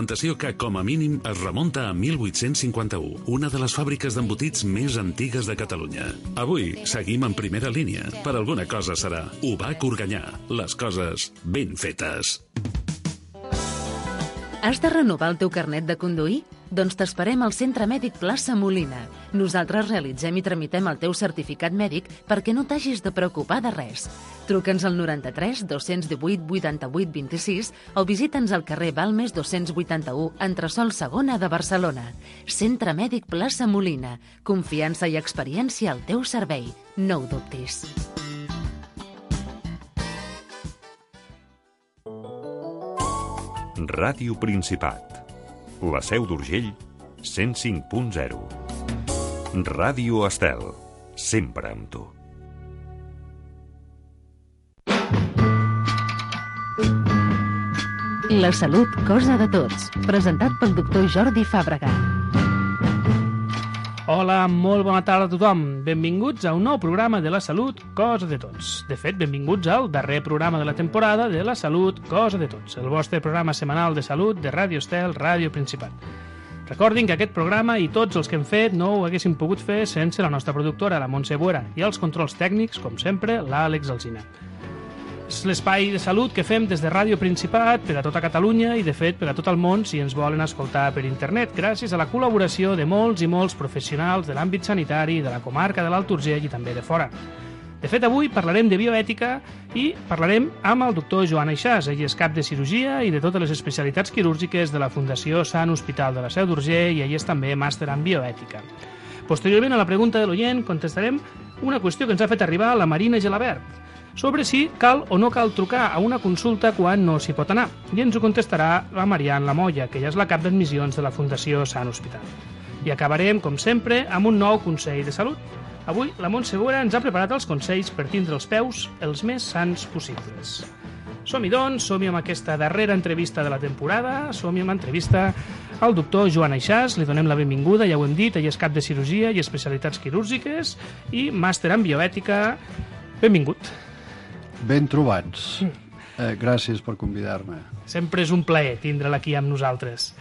documentació que, com a mínim, es remunta a 1851, una de les fàbriques d'embotits més antigues de Catalunya. Avui seguim en primera línia. Per alguna cosa serà. UBAC Organyà. Les coses ben fetes. Has de renovar el teu carnet de conduir? Doncs t'esperem al Centre Mèdic Plaça Molina. Nosaltres realitzem i tramitem el teu certificat mèdic perquè no t'hagis de preocupar de res. Truca'ns al 93 218 88 26 o visita'ns al carrer Balmes 281, entresòl segona de Barcelona. Centre Mèdic Plaça Molina. Confiança i experiència al teu servei. No ho dubtis. Ràdio Principat. La Seu d'Urgell, 105.0. Ràdio Estel, sempre amb tu. La salut, cosa de tots. Presentat pel doctor Jordi Fàbrega. Hola, molt bona tarda a tothom. Benvinguts a un nou programa de la salut, cosa de tots. De fet, benvinguts al darrer programa de la temporada de la salut, cosa de tots, el vostre programa setmanal de salut de Ràdio Estel, Ràdio Principat. Recordin que aquest programa i tots els que hem fet no ho haguéssim pogut fer sense la nostra productora, la Montse Buera, i els controls tècnics, com sempre, l'Àlex Alsina. És l'espai de salut que fem des de Ràdio Principat per a tota Catalunya i, de fet, per a tot el món si ens volen escoltar per internet, gràcies a la col·laboració de molts i molts professionals de l'àmbit sanitari, de la comarca de l'Alt Urgell i també de fora. De fet, avui parlarem de bioètica i parlarem amb el doctor Joan Aixàs. Ell és cap de cirurgia i de totes les especialitats quirúrgiques de la Fundació Sant Hospital de la Seu d'Urgell i ell és també màster en bioètica. Posteriorment, a la pregunta de l'oient, contestarem una qüestió que ens ha fet arribar la Marina Gelabert sobre si cal o no cal trucar a una consulta quan no s'hi pot anar. I ens ho contestarà la Marian Lamolla, que ja és la cap d'admissions de la Fundació Sant Hospital. I acabarem, com sempre, amb un nou consell de salut. Avui, la Montse Buera ens ha preparat els consells per tindre els peus els més sants possibles. Som-hi, doncs, som-hi amb aquesta darrera entrevista de la temporada, som-hi amb l'entrevista al doctor Joan Aixàs, li donem la benvinguda, ja ho hem dit, ell és cap de cirurgia i especialitats quirúrgiques i màster en bioètica. Benvingut. Ben trobats. Gràcies per convidar-me. Sempre és un plaer tindre-la aquí amb nosaltres.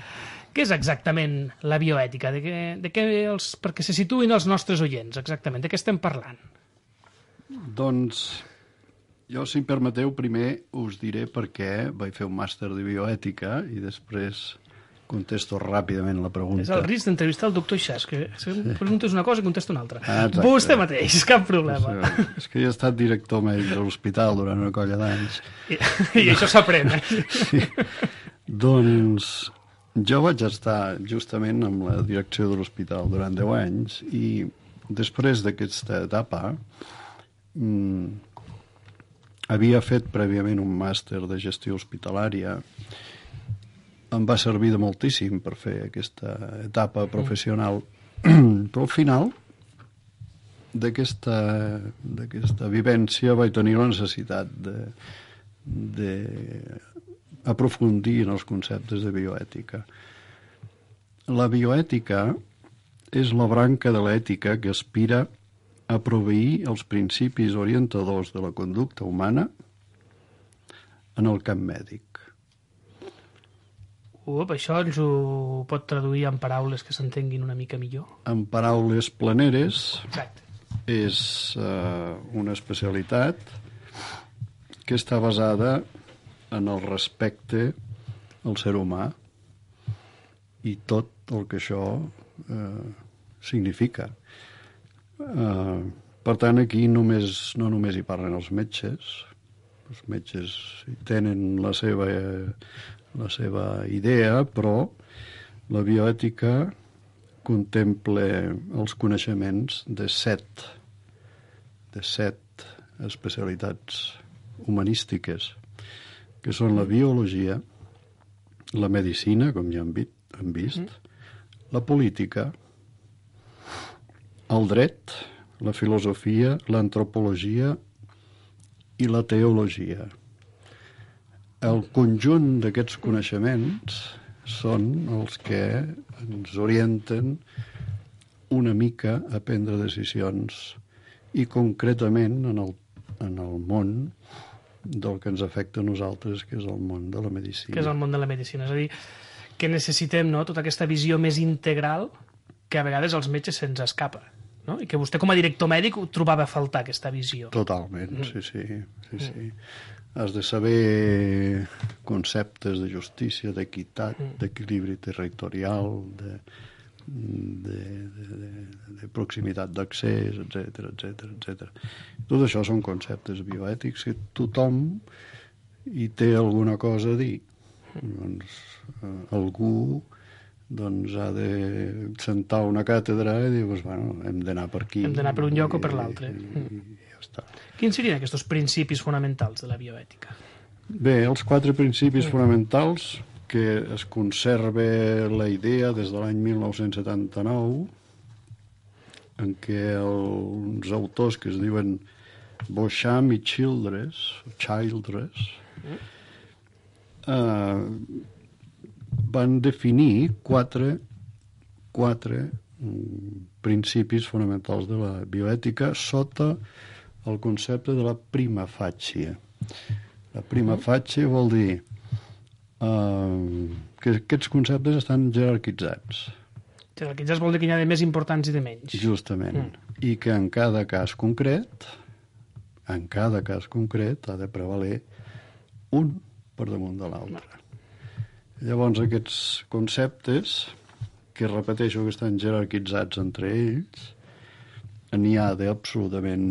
Què és exactament la bioètica? Perquè se situïn els nostres oients, exactament. De què estem parlant? Doncs jo, si em permeteu, primer us diré per què vaig fer un màster de bioètica i després contesto ràpidament la pregunta. És el risc d'entrevistar el doctor Aixàs, que preguntes una cosa i contesta una altra. Exacte. Vostè mateix, cap problema. És que jo he estat director mèdic de l'hospital durant una colla d'anys. I això s'aprèn, Sí. Doncs jo vaig estar justament amb la direcció de l'hospital durant 10 anys i després d'aquesta etapa havia fet prèviament un màster de gestió hospitalària. Em va servir de moltíssim per fer aquesta etapa professional, però al final d'aquesta vivència vaig tenir la necessitat d'aprofundir en els conceptes de bioètica. La bioètica és la branca de l'ètica que aspira a proveir els principis orientadors de la conducta humana en el camp mèdic. Això ens ho pot traduir en paraules que s'entenguin una mica millor? En paraules planeres, exacte. És una especialitat que està basada en el respecte al ser humà i tot el que això significa. Per tant, aquí no només hi parlen els metges. Els metges tenen la seva idea, però la bioètica contempla els coneixements de set especialitats humanístiques, que són la biologia, la medicina, com ja hem vist, la política, el dret, la filosofia, l'antropologia i la teologia. El conjunt d'aquests coneixements són els que ens orienten una mica a prendre decisions i concretament en el món del que ens afecta a nosaltres, que és el món de la medicina. Que és el món de la medicina. És a dir, que necessitem, no?, tota aquesta visió més integral que a vegades als metges se'ns escapa, no? I que vostè com a director mèdic ho trobava a faltar, aquesta visió. Totalment, sí. Has de saber conceptes de justícia, d'equitat, d'equilibri territorial, de proximitat d'accés, etc. Tot això són conceptes bioètics que tothom hi té alguna cosa a dir. Doncs algú ha de sentar una càtedra i dir, bueno, hem d'anar per aquí. Hem d'anar per un lloc o per l'altre. I ja està. Quins serien aquests principis fonamentals de la bioètica? Bé, els 4 principis fonamentals, que es conserva la idea des de l'any 1979, en què uns autors que es diuen Beauchamp i Childress, van definir 4 principis fonamentals de la bioètica sota el concepte de la prima facie. La prima facie vol dir que aquests conceptes estan jerarquitzats. Jerarquitzats vol dir que n'hi ha de més importants i de menys. Justament. I que en cada cas concret ha de prevaler un per damunt de l'altre. Llavors, aquests conceptes, que repeteixo que estan jerarquitzats entre ells, n'hi ha d'absolutament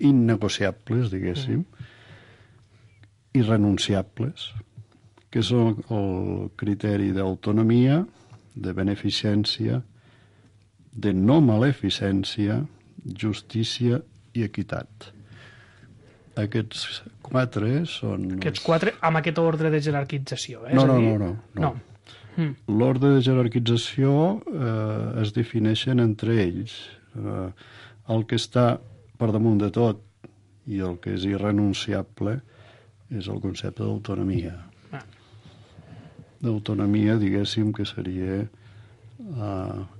innegociables, diguéssim, irrenunciables, que són el criteri d'autonomia, de beneficència, de no maleficència, justícia i equitat. Aquests 4 són... Aquests 4 amb aquest ordre de jerarquització, eh? No. L'ordre de jerarquització es defineixen entre ells. El que està per damunt de tot i el que és irrenunciable és el concepte d'autonomia. D'autonomia, diguéssim, que seria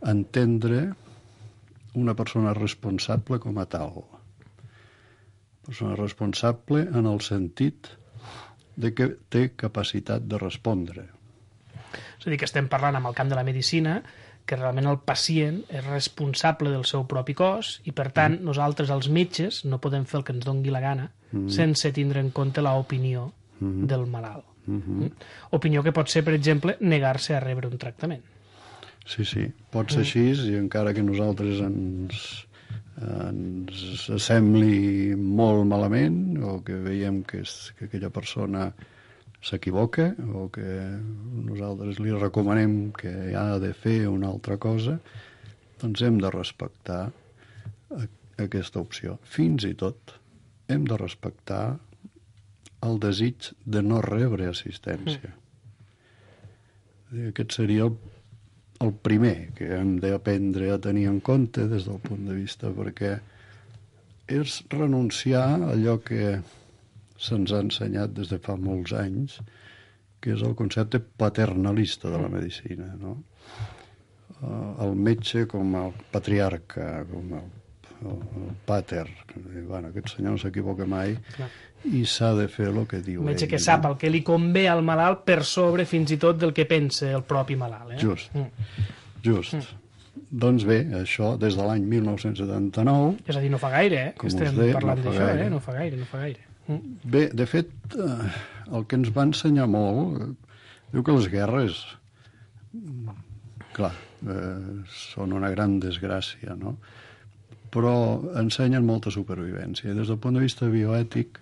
entendre una persona responsable com a tal. Persona responsable en el sentit de que té capacitat de respondre. És a dir, que estem parlant amb el camp de la medicina que realment el pacient és responsable del seu propi cos i, per tant, nosaltres, els metges, no podem fer el que ens dongui la gana sense tindre en compte l'opinió del malalt. Opinió que pot ser, per exemple, negar-se a rebre un tractament. Sí, pot ser així, i encara que nosaltres ens sembli molt malament o que veiem que aquella persona s'equivoca o que nosaltres li recomanem que ha de fer una altra cosa, doncs hem de respectar aquesta opció. Fins i tot hem de respectar el desig de no rebre assistència. Aquest seria el primer que hem d'aprendre a tenir en compte des del punt de vista, perquè és renunciar a allò que se'ns ha ensenyat des de fa molts anys, que és el concepte paternalista de la medicina, no? El metge com el patriarca, com el pater. Bueno, aquest senyor no s'equivoca mai. Clar. I s'ha de fer el que diu ell. Un metge que sap el que li convé al malalt per sobre fins i tot del que pensa el propi malalt. Just. Doncs bé, això des de l'any 1979... És a dir, no fa gaire, que estem parlant d'això, no fa gaire. Bé, de fet, el que ens va ensenyar molt, diu que les guerres, clar, són una gran desgràcia, no? Però ensenyen molta supervivència. Des del punt de vista bioètic,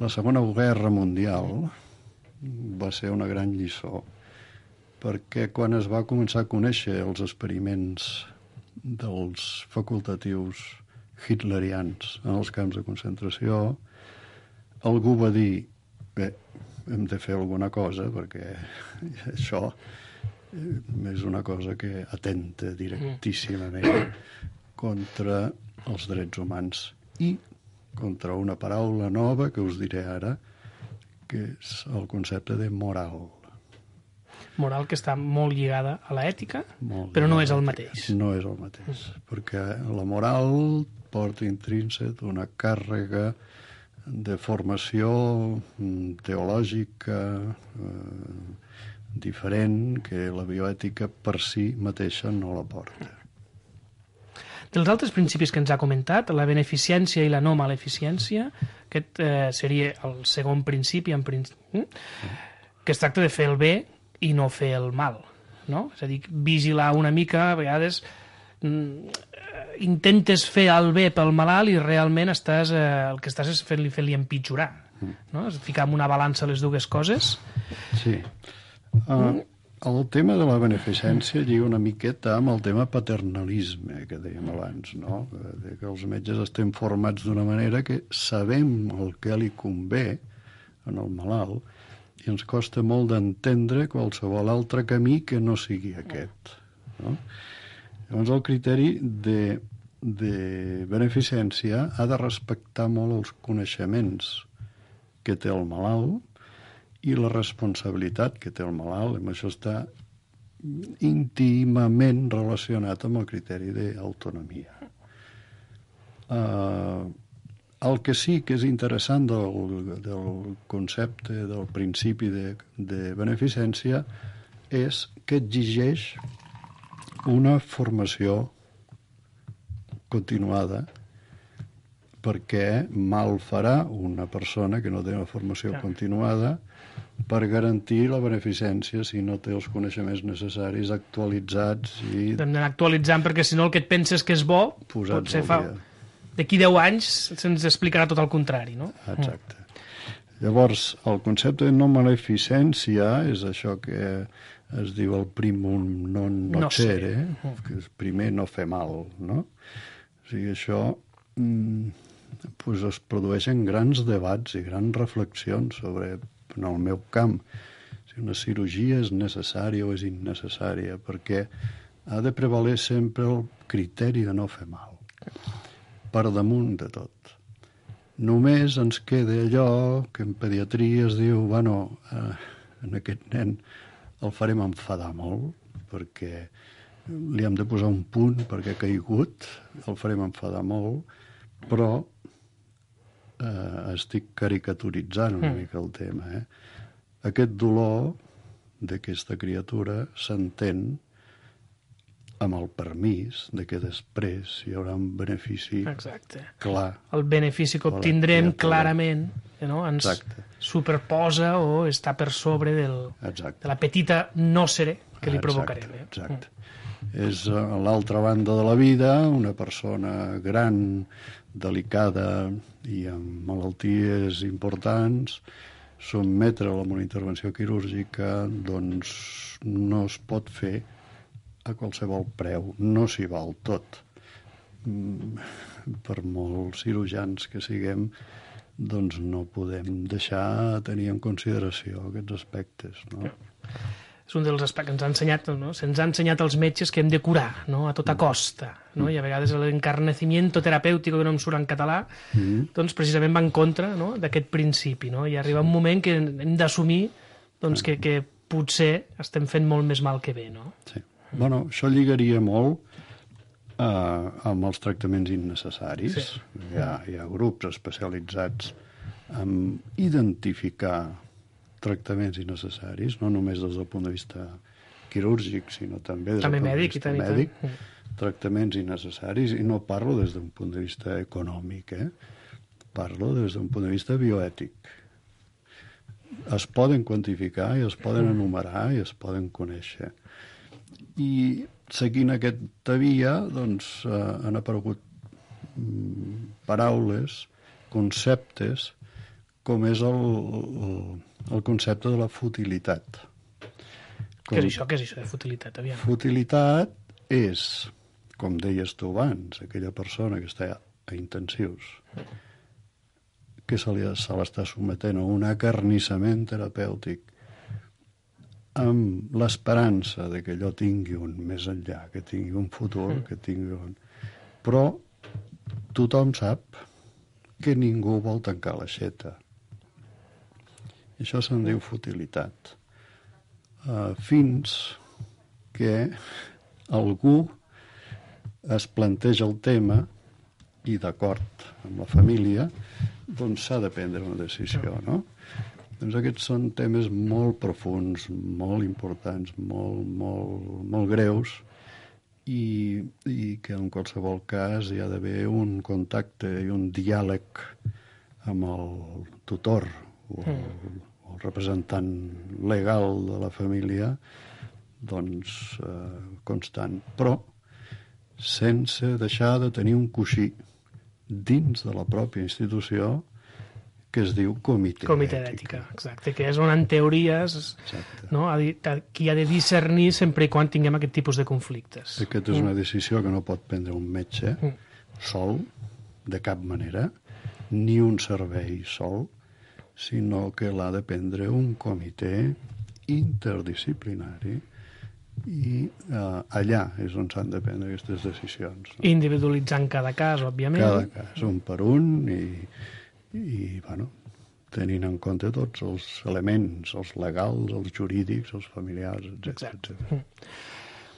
la Segona Guerra Mundial va ser una gran lliçó, perquè quan es va començar a conèixer els experiments dels facultatius hitlerians en els camps de concentració, algú va dir, bé, hem de fer alguna cosa, perquè això és una cosa que atenta directíssimament contra els drets humans i contra una paraula nova que us diré ara, que és el concepte de moral. Moral que està molt lligada a l'ètica, però no és el mateix. No és el mateix, perquè la moral porta intrínsec una càrrega de formació teològica diferent que la bioètica per si mateixa no la porta. Dels altres principis que ens ha comentat, la beneficència i la no maleficència, aquest seria el segon principi, que es tracta de fer el bé i no fer el mal, no? És a dir, vigilar una mica, a vegades intentes fer el bé pel malalt i realment el que estàs és fer-li empitjorar, no? És ficar en una balança les dues coses. Sí. El tema de la beneficència lliga una miqueta amb el tema paternalisme que dèiem abans, no? Que els metges estem formats d'una manera que sabem el que li convé en el malalt i ens costa molt d'entendre qualsevol altre camí que no sigui aquest, no? Llavors el criteri de beneficència ha de respectar molt els coneixements que té el malalt i la responsabilitat que té el malalt. Amb això està íntimament relacionat amb el criteri d'autonomia. El que sí que és interessant del concepte, del principi de beneficència, és que exigeix una formació continuada, perquè mal farà una persona que no té una formació continuada per garantir la beneficència si no té els coneixements necessaris actualitzats i... Hem d'anar actualitzant perquè si no el que et penses que és bo potser d'aquí 10 anys se'ns explicarà tot el contrari, no? Exacte. Llavors, el concepte de no maleficència és això que es diu el primum non nocere, que és primer no fer mal, no? O sigui, això es produeixen grans debats i grans reflexions sobre, en el meu camp, si una cirurgia és necessària o és innecessària, perquè ha de prevaler sempre el criteri de no fer mal, per damunt de tot. Només ens queda allò que en pediatria es diu, en aquest nen el farem enfadar molt, perquè li hem de posar un punt perquè ha caigut, el farem enfadar molt, però estic caricaturitzant una mica el tema. Aquest dolor d'aquesta criatura s'entén amb el permís de que després hi haurà un benefici clar. El benefici que obtindrem clarament ens superposa o està per sobre de la petita nòcere que li provocarem. Exacte. És a l'altra banda de la vida, una persona gran, delicada i amb malalties importants, sotmetre-la a una intervenció quirúrgica doncs no es pot fer a qualsevol preu, no s'hi val tot. Per molts cirurgians que siguem, doncs no podem deixar de tenir en consideració aquests aspectes, no? És un dels aspectes que ens ha ensenyat, no? Se'ns ha ensenyat als metges que hem de curar, no? A tota costa, no? I a vegades l'encarnecimiento terapèutico, que no em surt en català, doncs precisament va en contra, no? D'aquest principi, no? I arriba un moment que hem d'assumir doncs, que potser estem fent molt més mal que bé, no? Sí. Bueno, això lligaria molt amb els tractaments innecessaris. Sí. Hi ha grups especialitzats en identificar tractaments innecessaris, no només des del punt de vista quirúrgic, sinó també des del punt de vista mèdic. Tractaments innecessaris, i no parlo des d'un punt de vista econòmic, parlo des d'un punt de vista bioètic. Es poden quantificar i es poden enumerar i es poden conèixer. I seguint aquesta via doncs, han aparegut paraules, conceptes, com és el concepte de la futilitat. Què és això de futilitat? Aviam. Futilitat és, com deies tu abans, aquella persona que està a intensius, que se l'està sometent a un acarnissament terapèutic amb l'esperança de que allò tingui un més enllà, que tingui un futur, que tingui un... Però tothom sap que ningú vol tancar l'aixeta. Això se'n diu futilitat. Fins que algú es planteja el tema i, d'acord amb la família, doncs s'ha de prendre una decisió, no? Doncs aquests són temes molt profuns, molt importants, molt greus, i que en qualsevol cas hi ha d'haver un contacte i un diàleg amb el tutor o el representant legal de la família, doncs constant, però sense deixar de tenir un coixí dins de la pròpia institució que es diu Comitè d'Ètica, exacte, que és on en teories, no, qui ha de discernir sempre i quan tinguem aquest tipus de conflictes. Aquesta és una decisió que no pot prendre un metge sol, de cap manera, ni un servei sol, sinó que l'ha de prendre un comitè interdisciplinari, i allà és on s'han de prendre aquestes decisions. Individualitzant cada cas, òbviament. Cada cas, un per un, i bueno, tenint en compte tots els elements, els legals, els jurídics, els familiars, etc.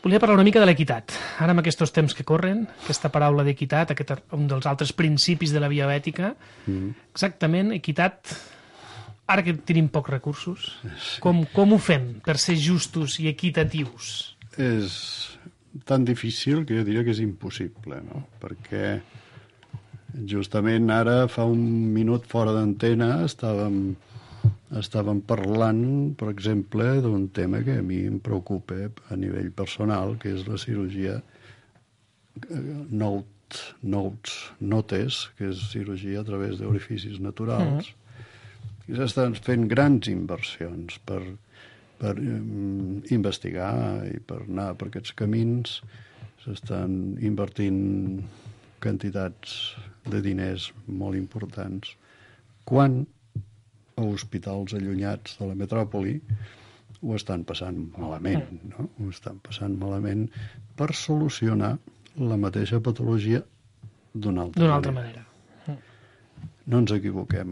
Volia parlar una mica de l'equitat. Ara, en aquests temps que corren, aquesta paraula d'equitat, un dels altres principis de la bioètica, exactament, equitat, ara que tenim pocs recursos, com ho fem per ser justos i equitatius? És tan difícil que jo diria que és impossible, no? Perquè justament ara, fa un minut fora d'antena, estàvem parlant, per exemple, d'un tema que a mi em preocupa a nivell personal, que és la cirurgia notes, que és cirurgia a través d'orificis naturals. I s'estan fent grans inversions per investigar i per anar per aquests camins. S'estan invertint quantitats de diners molt importants, quan a hospitals allunyats de la metròpoli ho estan passant malament, no? Ho estan passant malament per solucionar la mateixa patologia d'una altra manera. No ens equivoquem.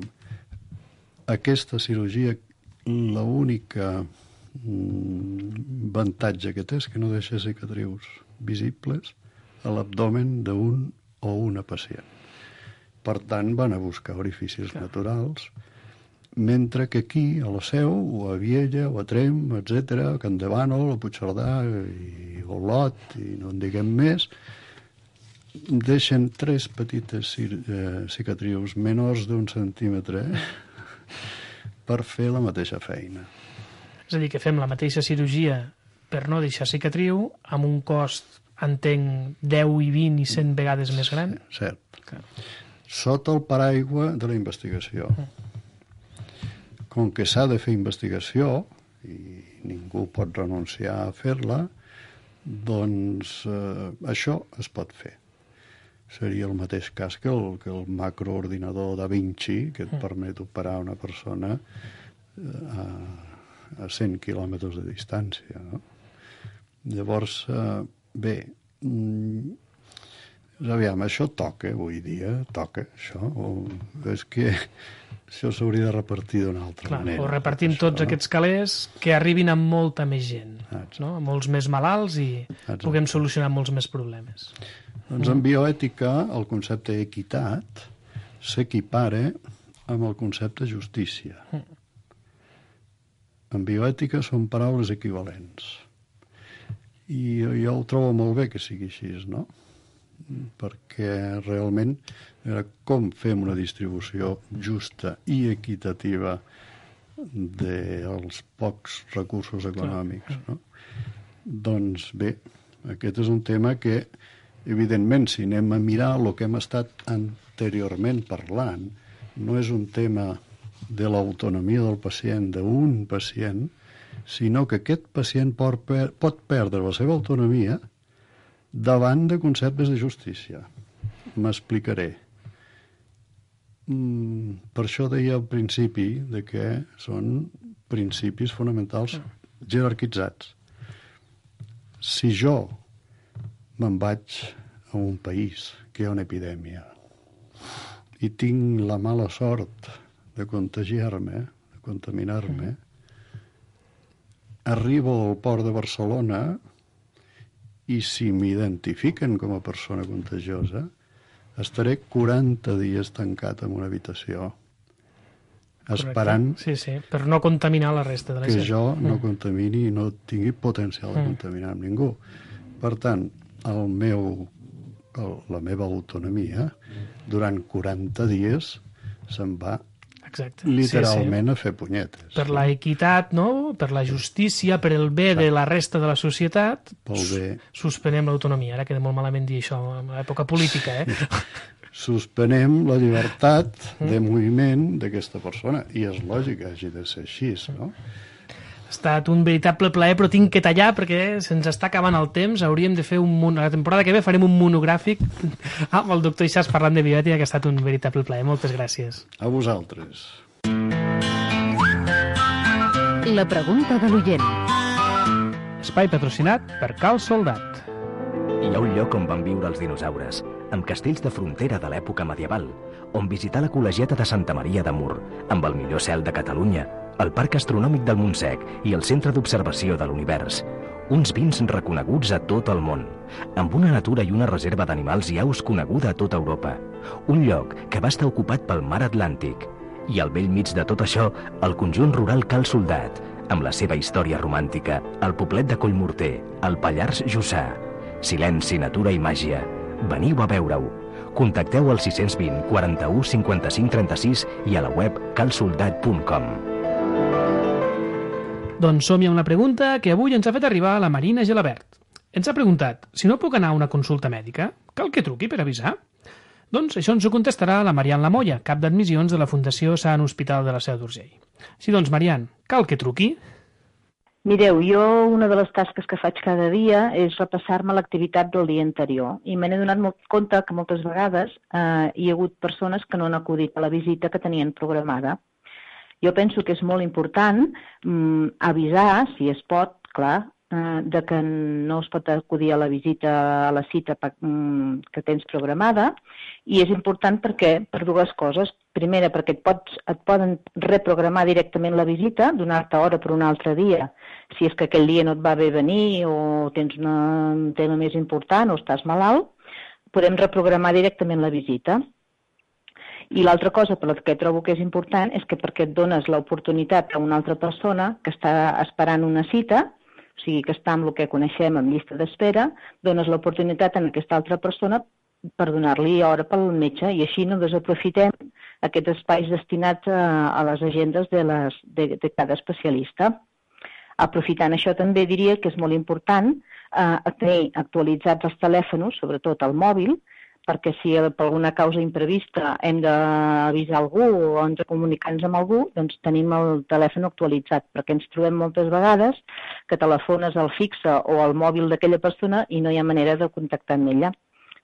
Aquesta cirurgia, l'única avantatge que té és que no deixa cicatrius visibles a l'abdomen d'un o una pacient. Per tant, van a buscar orificis naturals, mentre que aquí, a la Seu, o a Viella, o a Tremp, etc., a Campdevànol, a Puigcerdà, i Olot, i no en diguem més, deixen 3 petites cicatrius menors d'1 centímetre per fer la mateixa feina. És a dir, que fem la mateixa cirurgia per no deixar cicatriu, amb un cost, entenc, 10 i 20 i 100 vegades més gran? Cert. Sota el paraigua de la investigació. Com que s'ha de fer investigació, i ningú pot renunciar a fer-la, doncs això es pot fer. Seria el mateix cas que el macroordinador Da Vinci, que et permet operar una persona a 100 quilòmetres de distància, no? Llavors, bé, aviam, això toca avui dia, toca això, o és que això s'hauria de repartir d'una altra manera. O repartim tots aquests calés que arribin a molta més gent, no? A molts més malalts, i puguem solucionar molts més problemes. Doncs en bioètica el concepte equitat s'equipara amb el concepte justícia. En bioètica són paraules equivalents. I jo ho trobo molt bé que sigui així, no? Perquè realment com fem una distribució justa i equitativa dels pocs recursos econòmics, no? Doncs bé, aquest és un tema que, evidentment, si anem a mirar el que hem estat anteriorment parlant, no és un tema de l'autonomia del pacient, d'un pacient, sinó que aquest pacient pot perdre la seva autonomia davant de conceptes de justícia. M'explicaré. Per això deia al principi que són principis fonamentals jerarquitzats. Si jo me'n vaig a un país que hi ha una epidèmia i tinc la mala sort de contagiar-me, de contaminar-me, arribo al port de Barcelona i si m'identifiquen com a persona contagiosa, estaré 40 dies tancat en una habitació, esperant sí, per no contaminar la resta de la gent. que jo no contamini i no tingui potencial de contaminar amb ningú. Per tant, la meva autonomia durant 40 dies se'n va literalment a fer punyetes. Per la equitat, no? Per la justícia, per el bé de la resta de la societat, suspenem l'autonomia. Ara queda molt malament dir això en l'època política, Suspenem la llibertat de moviment d'aquesta persona, i és lògic que hagi de ser així, no? Ha estat un veritable plaer, però tinc que tallar perquè se'ns està acabant el temps. Hauríem de fer la temporada que ve farem un monogràfic amb el doctor Ixàs parlant de bioètica, que ha estat un veritable plaer. Moltes gràcies. A vosaltres. La pregunta de l'oient. Espai patrocinat per Cal Soldat. Hi ha un lloc on van viure els dinosaures, amb castells de frontera de l'època medieval, on visitar la col·legiata de Santa Maria de Mur, amb el millor cel de Catalunya, el Parc Astronòmic del Montsec i el Centre d'Observació de l'Univers. Uns vins reconeguts a tot el món, amb una natura i una reserva d'animals i aus coneguda a tota Europa. Un lloc que va estar ocupat pel mar Atlàntic. I al bell mig de tot això, el conjunt rural Cal Soldat, amb la seva història romàntica, el poblet de Collmorter, el Pallars Jussà. Silenci, natura i màgia. Veniu a veure-ho. Contacteu al 620 41 55 36 i a la web calsoldat.com. Doncs som-hi amb la pregunta que avui ens ha fet arribar la Marina Gelabert. Ens ha preguntat, si no puc anar a una consulta mèdica, cal que truqui per avisar? Doncs això ens ho contestarà la Marian Lamolla, cap d'admissions de la Fundació Sant Hospital de la Seu d'Urgell. Sí, doncs, Marian, cal que truqui? Mireu, jo una de les tasques que faig cada dia és repassar-me l'activitat del dia anterior i me n'he donat compte que moltes vegades hi ha hagut persones que no han acudit a la visita que tenien programada. Jo penso que és molt important avisar, si es pot, clar, de que no es pot acudir a la visita, a la cita que tens programada, i és important perquè, per dues coses. Primera, perquè et poden reprogramar directament la visita, donar-te hora per un altre dia, si és que aquell dia no et va bé venir o tens un tema més important o estàs malalt, podem reprogramar directament la visita. I l'altra cosa per la que trobo que és important és que perquè et dones l'oportunitat a una altra persona que està esperant una cita, o sigui que està amb el que coneixem en llista d'espera, dones l'oportunitat a aquesta altra persona per donar-li hora pel metge i així no desaprofitem aquests espais destinats a les agendes de cada especialista. Aprofitant això també diria que és molt important tenir actualitzats els telèfons, sobretot el mòbil, perquè si per alguna causa imprevista hem d'avisar algú o ens comunicar-nos amb algú, doncs tenim el telèfon actualitzat, perquè ens trobem moltes vegades que telefones al fixe o al mòbil d'aquella persona i no hi ha manera de contactar amb ella.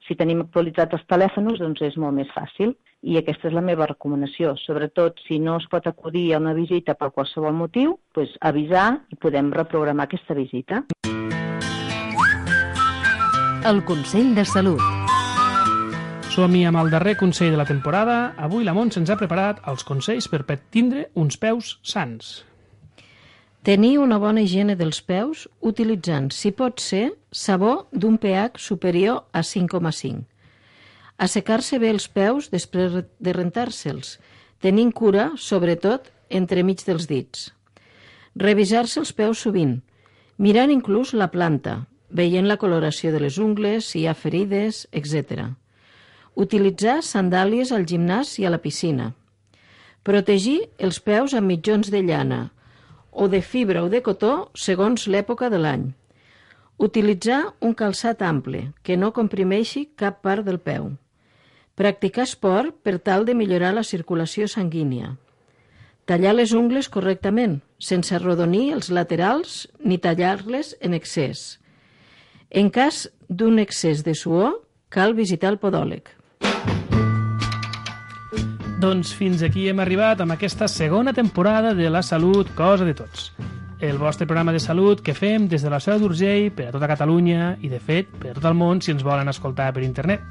Si tenim actualitzats els telèfons, doncs és molt més fàcil. I aquesta és la meva recomanació. Sobretot, si no es pot acudir a una visita per qualsevol motiu, doncs avisar i podem reprogramar aquesta visita. El Consell de Salut. Som-hi amb el darrer consell de la temporada. Avui la Montse ens ha preparat els consells per tindre uns peus sans. Tenir una bona higiene dels peus utilitzant, si pot ser, sabó d'un pH superior a 5,5. Assecar-se bé els peus després de rentar-se'ls, tenint cura, sobretot, entremig dels dits. Revisar-se els peus sovint, mirant inclús la planta, veient la coloració de les ungles, si hi ha ferides, etc. Utilitzar sandàlies al gimnàs i a la piscina. Protegir els peus amb mitjons de llana, o de fibra o de cotó segons l'època de l'any. Utilitzar un calçat ample, que no comprimeixi cap part del peu. Practicar esport per tal de millorar la circulació sanguínia. Tallar les ungles correctament, sense arrodonir els laterals ni tallar-les en excés. En cas d'un excés de suor, cal visitar el podòleg. Doncs fins aquí hem arribat amb aquesta segona temporada de La Salut, cosa de tots. El vostre programa de salut que fem des de la Seu d'Urgell per a tota Catalunya i, de fet, per a tot el món si ens volen escoltar per internet.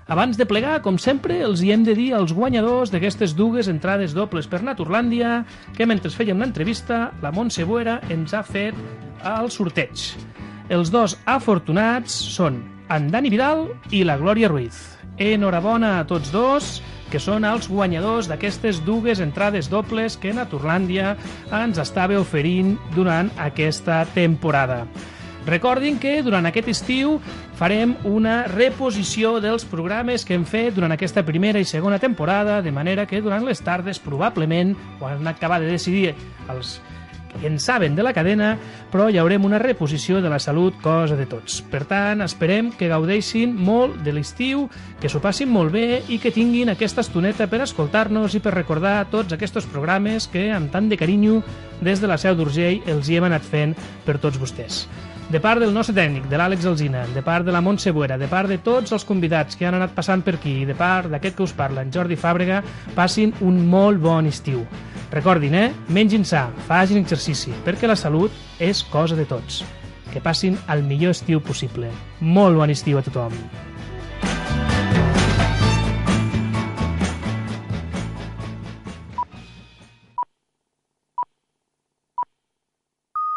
Abans de plegar, com sempre, els hi hem de dir als guanyadors d'aquestes dues entrades dobles per Naturlàndia que mentre fèiem l'entrevista la Montse Boera ens ha fet el sorteig. Els dos afortunats són en Dani Vidal i la Glòria Ruiz. enhorabona a tots dos, que són els guanyadors d'aquestes dues entrades dobles que Naturlàndia ens estava oferint durant aquesta temporada. Recordin que durant aquest estiu farem una reposició dels programes que hem fet durant aquesta primera i segona temporada, de manera que durant les tardes, probablement, ho han acabat de decidir els que en saben de la cadena, però hi haurem una reposició de la salut, cosa de tots. Per tant, esperem que gaudeixin molt de l'estiu, que s'ho passin molt bé i que tinguin aquesta estoneta per escoltar-nos i per recordar tots aquests programes que, amb tant de carinyo, des de la Seu d'Urgell els hi hem anat fent per tots vostès. De part del nostre tècnic, de l'Àlex Alsina, de part de la Montse Buera, de part de tots els convidats que han anat passant per aquí i de part d'aquest que us parla, en Jordi Fàbrega, passin un molt bon estiu. Recordin, mengin sa, facin exercici, perquè la salut és cosa de tots. Que passin el millor estiu possible. Molt bon estiu a tothom.